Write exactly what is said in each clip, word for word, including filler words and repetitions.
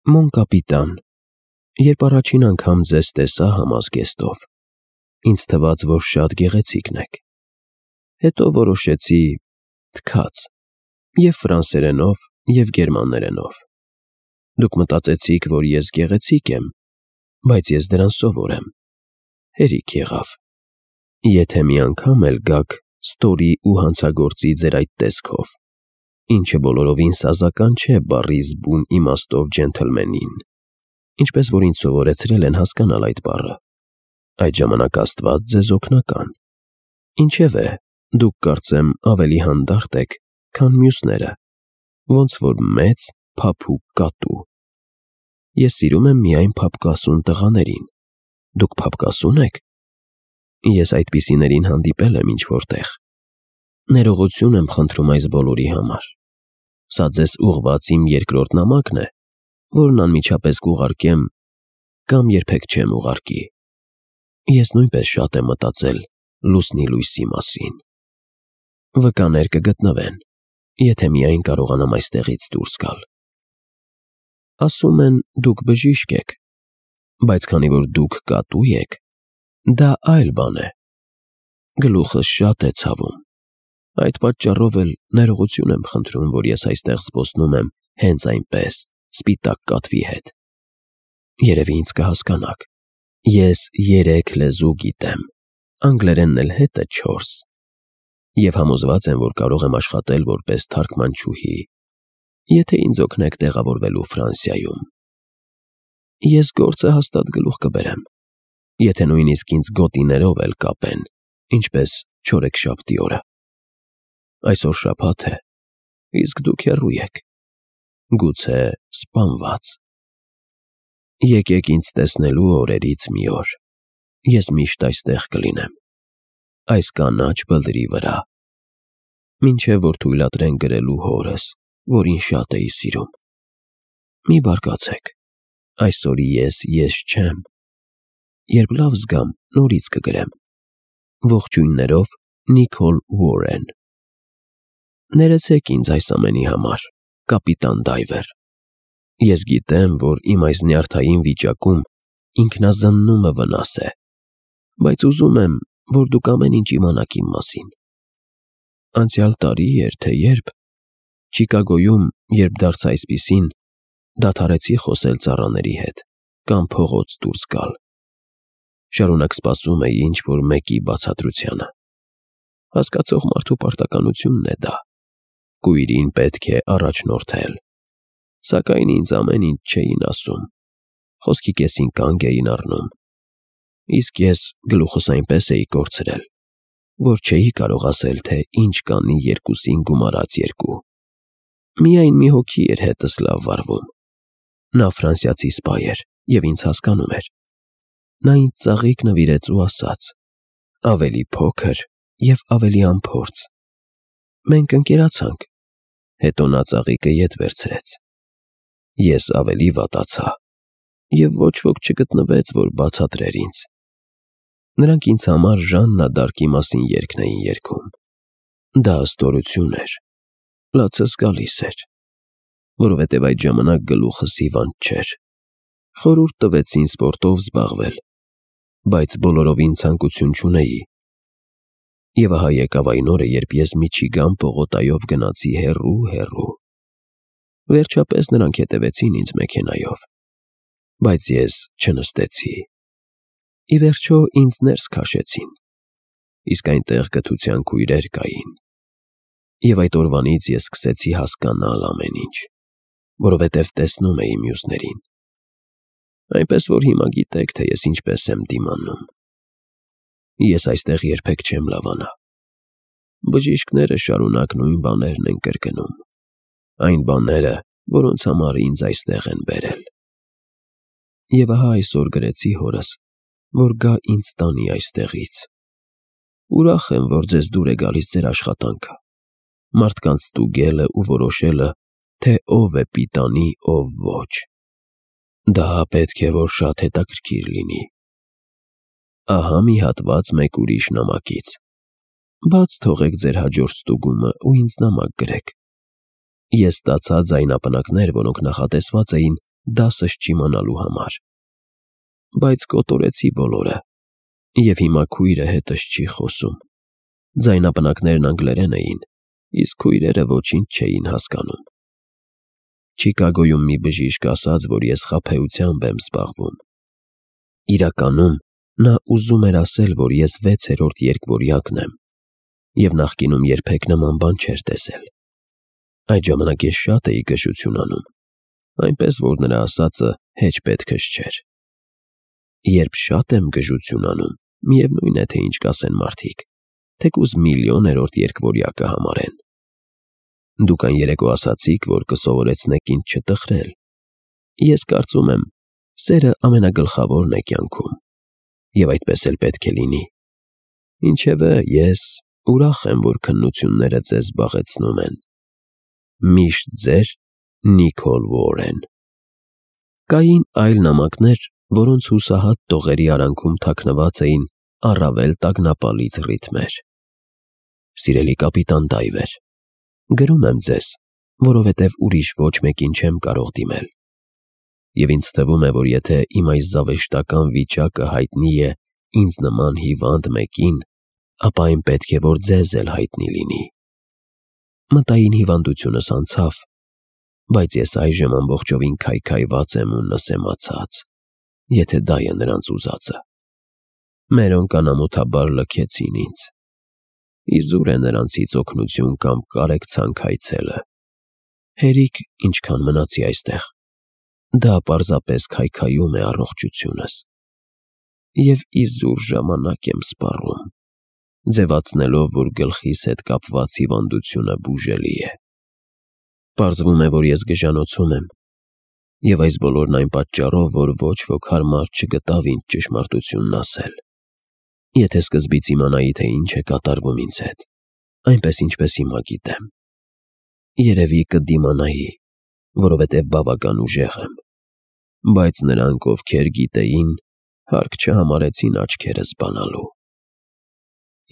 Մոն կապիտան, երբ առաջին անգամ ձեզ տեսա համազգեստով, ինձ թվաց, որ շատ գեղեցիկն եք, հետո որոշեցի թքած և ֆրանսերենով, և գերմաներենով, դուք մտածեցիք, որ ես գեղեցիկ եմ, բայց ես դրան սովոր եմ, հերիք եղավ, եթե մի անգամ էլ գաք ստորի ու հանցագործի ձեր այդ տեսքով, ինչը բոլորովին սազական չէ բառի զբուն իմաստով ջենթլմենին, ինչպես որ ինձ սովորեցրել են հասկանալ այդ բառը, այդ ժամանակ Աստված ձեզ օգնական, ինչևէ, դուք կարծեմ ավելի հանդարտ եք, քան մյուսները, ոնց որ մեծ, փափուկ կատու։ Ես սիրում եմ միայն փափկասուն տղաներին, դուք փափկասո՞ւն եք։ Ես այդպիսիներին հանդիպել եմ ինչ-որտեղ։ Ներողություն եմ խնդրում այս բոլորի համար։ Սա ձեզ ուղղված իմ երկրորդ նամակն է, որն անմիջապես կուղարկեմ կամ երբեք չեմ ուղարկի։ Ես նույնպես շատ եմ մտածել լուսնի լույսի մասին։ Վկաներ կգտնվեն, եթե միայն կարողանամ այստեղից դուրս գալ։ Ասում են, դուք բժիշկ եք, բայց քանի որ դուք կատու եք, դա այլ բան է։ Գլուխս շատ է ցավում։ Այդ պատճառով էլ ներողություն եմ խնդրում, որ ես այստեղ զբոսնում եմ հենց այնպես, սպիտակ կատվի հետ։ Երևի ինձ կհասկանաք։ Ես երեք լեզու գիտեմ, անգլերենն էլ հետը չորս, և համոզված եմ, որ կարող եմ աշխատել որպես թարգմանչուհի, եթե ինձ օգնեք տեղավորվելու Ֆրանսիայում։ Ես գործը հաստատ գլուխ կբերեմ, եթե նույնիսկ ինձ գոտիներով էլ կապեն, ինչպես չորեքշաբթի օրը։ Այսօր շաբաթ է, իսկ դուք հեռու եք, գուցե սպանված։ Եկեք ինձ տեսնելու օրերից մի օր, ես միշտ այստեղ կլինեմ, այս կանաչ բլրի վրա, մինչև որ թույլատրեն գրելու հորս, որին շատ էի սիրում։ Մի բարկացեք, այսօր ես ես չեմ, երբ լավ զգամ, նորից կգրեմ։ Ողջույններով Նիկոլ Ուորեն։ Ներեցեք ինձ այս ամենի համար, կապիտան Դայվեր։ Ես գիտեմ, որ իմ այս նյարդային վիճակում ինքնազննումը վնաս է, բայց ուզում եմ, որ դուք ամեն ինչ իմանաք իմ մասին։ Անցյալ տարի էր, թե երբ, Չիկագոյում, երբ դարձա այսպիսին, դադարեցի խոսել ծառաների հետ կամ փողոց դուրս գալ։ Շարունակ սպասում էի ինչ-որ մեկի բացատրությանը։ Հասկացող մարդու պարտականությունն է դա։ Կույրին պետք է առաջնորդել։ Սակայն ինձ ամեն ինչ չէին ասում, խոսքի կեսին կանգ էին առնում, իսկ ես գլուխս այնպես էի կորցրել, որ չէի կարող ասել, թե ինչ կանի երկուսին գումարած երկու։ Միայն մի հոգի էր հետս լավ վարվում։ Նա ֆրանսիացի սպա էր և ինձ հասկանում էր։ Նա ինձ ծաղիկ նվիրեց ու ասաց. ավելի փոքր և ավելի անփորձ։ Մենք ընկերացանք, հետո նա ծաղիկը ետ վերցրեց։ Ես ավելի վատացա, և ոչ ոք չգտնվեց, որ բացատրեր ինձ։ Նրանք ինձ համար Ժաննա դ'Արկի մասին երգն էին երգում։ Դա ստորություն էր, լացս գալիս էր, որովհետև այդ ժամանակ գլուխս հիվանդ չէր։ Խորհուրդ տվեցին սպորտով զբաղվել, բայց բոլորովին ցանկություն չունեի։ Եվ ահա եկավ այն օրը, երբ ես Միչիգան պողոտայով գնացի հեռու֊հեռու։ Վերջապես նրանք հետևեցին ինձ մեքենայով, բայց ես չնստեցի։ Ի վերջո ինձ ներս քաշեցին, իսկ այնտեղ կթության քույրեր կային։ Եվ այդ օրվանից ես սկսեցի հասկանալ ամեն ինչ, որովհետև տեսնում էի մյուսներին։ Այնպես որ հիմա գիտեք, թե ես ինչպես եմ դիմանում։ Ես այստեղ երբեք չեմ լավանա։ Բժիշկները շարունակ նույն բաներն են կրկնում, այն բաները, որոնց համար ինձ այստեղ են բերել։ Եվ ահա այսօր գրեցի հորս, որ գա ինձ տանի այստեղից։ Ուրախ եմ, որ ձեզ դուր է գալիս ձեր աշխատանքը, մարդկանց ստուգելը ու որոշելը, թե ով է պիտանի, ով ոչ։ Դա պետք է որ շատ հետաքրքիր լինի։ Ահա մի հատված մեկ ուրիշ նամակից։ Բաց թողեք ձեր հաջորդ ստուգումը ու ինձ նամակ գրեք։ Ես ստացա ձայնապնակներ, որոնք նախատեսված էին դասս չիմանալու համար։ Բայց կոտորեցի բոլորը, և հիմա քույրը հետս չի խոսում։ Ձայնապնակներն անգլերեն էին, իսկ քույրերը ոչինչ չէին հասկանում։ Չիկագոյում մի բժիշկ ասաց, որ ես խաբեությամբ եմ զբաղվում։ Իրականում, նա ուզում էր ասել, որ ես վեցերորդ երկվորյակն եմ, և նախկինում երբեք նման բան չէր տեսել։ Այդ ժամանակ ես շատ էի գժություն անում, այնպես որ նրա ասածը հեչ պետքս չէր։ Երբ շատ եմ գժություն անում, միևնույն է, թե ինչ կասեն մարդիկ, թեկուզ միլիոներորդ երկվորյակը համարեն։ Դուք այն երեկո ասացիք, որ կսովորեցնեք ինձ չտխրել։ Ես կարծում եմ, սերը ամենագլխավորն է կյանքում, և այդպես էլ պետք է լինի։ Ինչևէ, ես ուրախ եմ, որ քննությունները ձեզ զբաղեցնում են։ Միշտ ձեր Նիկոլ Ուորեն։ Կային այլ նամակներ, որոնց հուսահատ տողերի արանքում թաքնված էին առավել տագնապալից ռիթմեր։ Սիրելի կապիտան Դայվեր, գրում եմ ձեզ, որովհետև ուրիշ ոչ մեկին չեմ կարող դիմել։ Եվ ինձ թվում է, որ եթե իմ այս զավեշտական վիճակը հայտնի է ինձ նման հիվանդ մեկին, ապա այն պետք է, որ ձեզ էլ հայտնի լինի։ Մտային հիվանդությունս անցավ, բայց ես այժմ ամբողջովին քայքայված եմ ու նսեմացած, եթե դա է նրանց ուզածը։ Մերոնք անամոթաբար լքեցին ինձ։ Իզուր է նրանցից օգնություն կամ կարեկցանք այցելը։ Հերիք ինչքան մնացի այստեղ, դա պարզապես քայքայում է առողջությունս։ Եվ իզուր ժամանակ եմ սպառում, ձևացնելով, որ գլխիս հետ կապված հիվանդությունը բուժելի է։ Պարզվում է, որ ես գժանոցում եմ, և այս բոլորն այն պատճառով, որ ոչ ոք հարմար չգտավ ինձ ճշմարտությունն ասել։ Եթե սկզբից իմանայի, թե ինչ է կատարվում ինձ հետ, այնպես ինչպես հիմա գիտեմ, երևի կդիմանայի, որովհետև բավական ուժեղ եմ, բայց նրանք, ովքեր գիտեին, հարկ չհամարեցին աչքերս բանալու։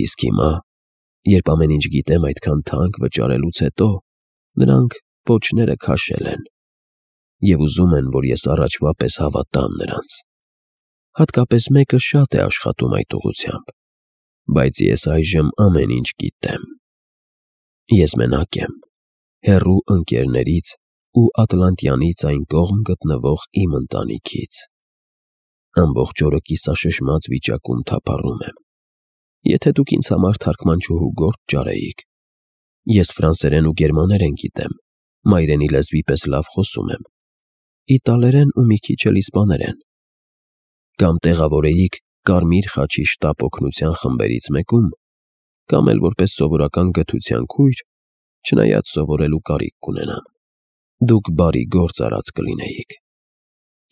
Իսկ հիմա, երբ ամեն ինչ գիտեմ այդքան թանկ վճարելուց հետո, նրանք պոչները քաշել են և ուզում են, որ ես առաջվա պես հավատամ նրանց։ Հատկապես մեկը շատ է աշխատում այդ ուղղությամբ, բայց ես այժմ ամեն ինչ գիտեմ։ Ես մենակ եմ, հեռու ընկերներից ու Ատլանտյանից այն կողմ գտնվող իմ ընտանիքից։ Ամբողջ օրը կիսաշշմած վիճակում թափառում եմ։ Եթե դուք ինձ համար թարգմանչուհու գործ ճարեիք։ Ես ֆրանսերեն ու գերմաներեն գիտեմ, մայրենի լեզվի պես լավ խոսում եմ, իտալերեն ու մի քիչ էլ իսպաներեն։ Կամ տեղավորեիք Կարմիր խաչի շտապ օգնության խմբերից մեկում, կամ էլ որպես սովորական գթության քույր, չնայած սովորելու կարիք կունենամ։ Դուք բարի գործ արած կլինեիք։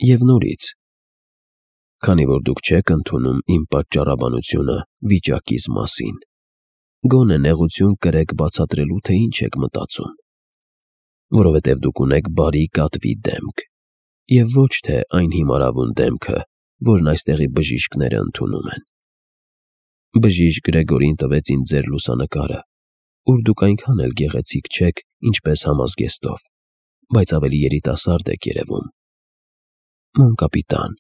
Եվ նորից, քանի որ դուք չեք ընդունում իմ պատճառաբանությունը վիճակիս մասին, գոնե նեղություն կրեք բացատրելու, թե ինչ եք մտածում, որովհետև դուք ունեք բարի կատվի դեմք, և ոչ թե այն հիմարավուն դեմքը, որն այստեղի բժիշկները ընդունում են։ Բժիշկ Գրեգորին տվեց ինձ ձեր լուսանկարը, ուր դուք այնքան էլ գեղեցիկ չեք, ինչպես համազգեստով, բայց ավելի երիտասարդ եք երևում։ Մոն կապիտան,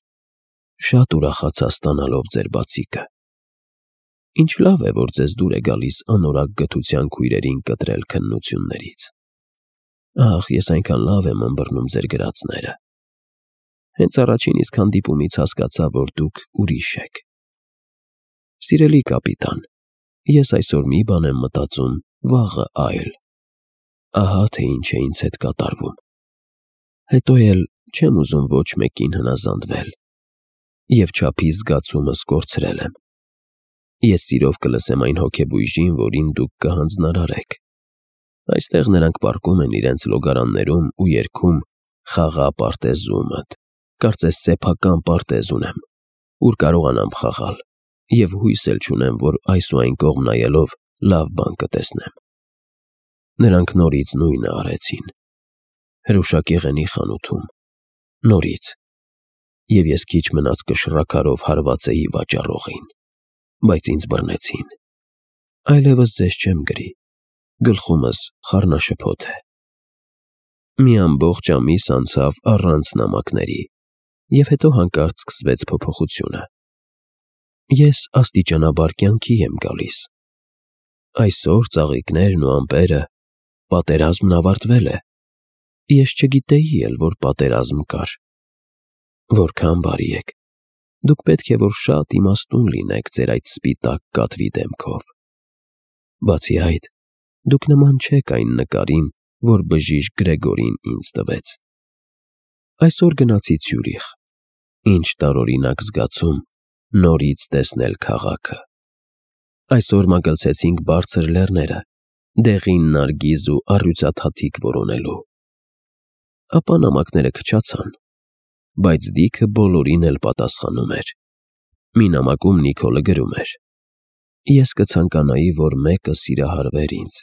շատ ուրախացա ստանալով ձեր բացիկը։ Ինչ լավ է, որ ձեզ դուր է գալիս անորակ գթության քույրերին կտրել քննություններից։ Ախ, ես այնքան լավ եմ ըմբռնում ձեր գրածները։ Հենց առաջին իսկ հանդիպումից հասկացա, որ դուք ուրիշ եք։ Սիրելի կապիտան, ես այսօր մի բան եմ մտածում, վաղը այլ։ Ահա թե ինչ է ինձ հետ կատարվում։ Հետո էլ չեմ ուզում ոչ մեկին հնազանդվել, և չափիս զգացումս կորցրել եմ։ Ես սիրով կլսեմ այն հոգեբույժին, որին դուք կհանձնարարեք։ Այստեղ նրանք պառկում են իրենց լոգարաններում ու երգում «Խաղա պարտեզումդ», կարծես սեփական պարտեզ ունեմ, ուր կարողանամ խաղալ, և հույս էլ չունեմ, որ այս ու այն կողմ նայելով լավ բան կտեսնեմ։ Նրանք նորից նույնը արեցին։ Հրուշակեղենի խանութում, նորից, և ես քիչ մնաց կշռաքարով հարվածեի վաճառողին, բայց ինձ բռնեցին։ Այլևս ձեզ չեմ գրի, գլխումս խառնաշփոթ է։ Մի ամբողջ ամիս անցավ առանց նամակների, և հետո հանկարծ սկսվեց փոփոխությունը։ Ես աստիճանաբար կյանքի եմ գալիս։ Այսօր ծաղիկներն ու ամպերը, պատերազմն ավարտվել է։ Ես չգիտեի էլ, որ պատերազմ կար։ Որքան բարի եք։ Դուք պետք է որ շատ իմաստուն լինեք ձեր այդ սպիտակ կատվի դեմքով։ Բացի այդ, դուք նման չեք այն նկարին, որ բժիշկ Գրեգորին ինձ տվեց։ Այսօր գնացի Ցյուրիխ։ Ինչ տարօրինակ զգացում նորից տեսնել քաղաքը։ Այսօր մագլցեցինք բարձր լեռները, դեղին նարգիզ ու առյուծաթաթիկ որոնելու։ Ապա նամակները քչացան, բայց Դիքը բոլորին էլ պատասխանում էր։ Մի նամակում Նիկոլը գրում էր. «Ես կցանկանայի, որ մեկը սիրահարվեր ինձ,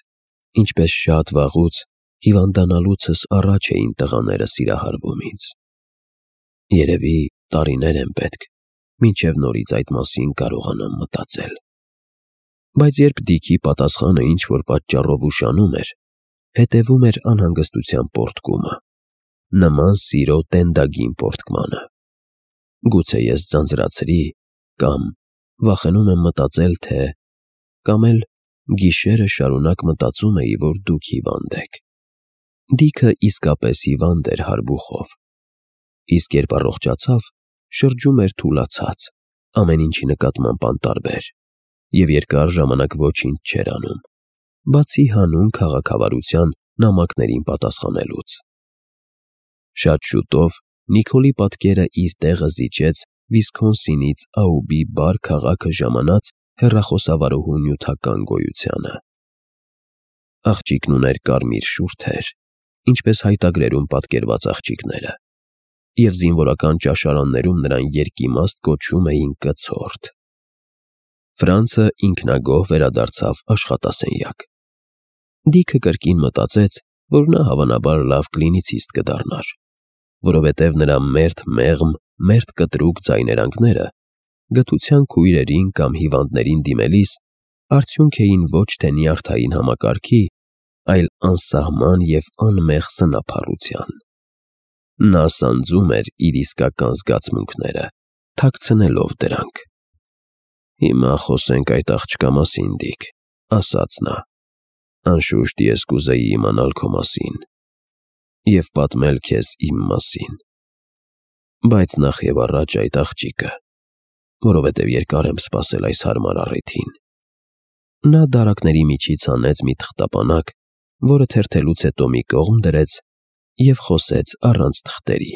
ինչպես շատ վաղուց հիվանդանալուցս առաջ էին տղաները սիրահարվում ինձ։ Երևի տարիներ են պետք, մինչև նորից այդ մասին կարողանամ մտածել»։ Բայց երբ Դիքի պատասխանը ինչ-որ պատճառով ուշանում էր, հետևում էր անհանգստության պոռթկումը, նման սիրո տենդագին պոռթկմանը։ Գուցե ես ձանձրացրի, կամ վախենում եմ մտածել, թե… կամ էլ գիշերը շարունակ մտածում էի, որ դուք հիվանդ եք։ Դիքը իսկապես հիվանդ էր հարբուխով։ Իսկ երբ առողջացավ, շրջում էր թուլացած, ամեն ինչի նկատմամբ անտարբեր, և երկար ժամանակ ոչինչ չէր անում, բացի հանուն քաղաքավարության նամակներին պատասխանելուց։ Շատ շուտով Նիկոլի պատկերը իր տեղը զիջեց Վիսքոնսինից Աուբի բարդ քաղաքը ժամանած հեռախոսավարուհու նյութական գոյությանը։ Աղջիկն ուներ կարմիր շուրթեր, ինչպես հայտագրերում պատկերված աղջիկները, և զինվորական ճաշարաններում նրան երկիմաստ կոչում էին կցորդ։ Ֆրանցը ինքնագոհ վերադարձավ աշխատասենյակ։ Դիքը կրկին մտածեց, որ նա հավանաբար լավ կլինիցիստ կդառնար, որովհետև նրա մերթ մեղմ, մերթ կտրուկ ձայներանգները գթության քույրերին կամ հիվանդներին դիմելիս արդյունք էին ոչ թե նյարդային համակարգի, այլ անսահման և անմեղ սնափառության։ Նա սանձում էր իր իսկական զգացմունքները, թաքցնելով դրանք։ «Հիմա խոսենք այդ աղջկա մասին, Դիք», ասաց նա։ «Անշուշտ ես կուզեի իմանալ քո մասին և պատմել քեզ իմ մասին։ Բայց նախևառաջ այդ աղջիկը, որովհետև երկար եմ սպասել այս հարմար առիթին»։ Նա դարակների միջից հանեց մի թղթապանակ, որը թերթելուց հետո մի կողմ դրեց և խոսեց առանց թղթերի.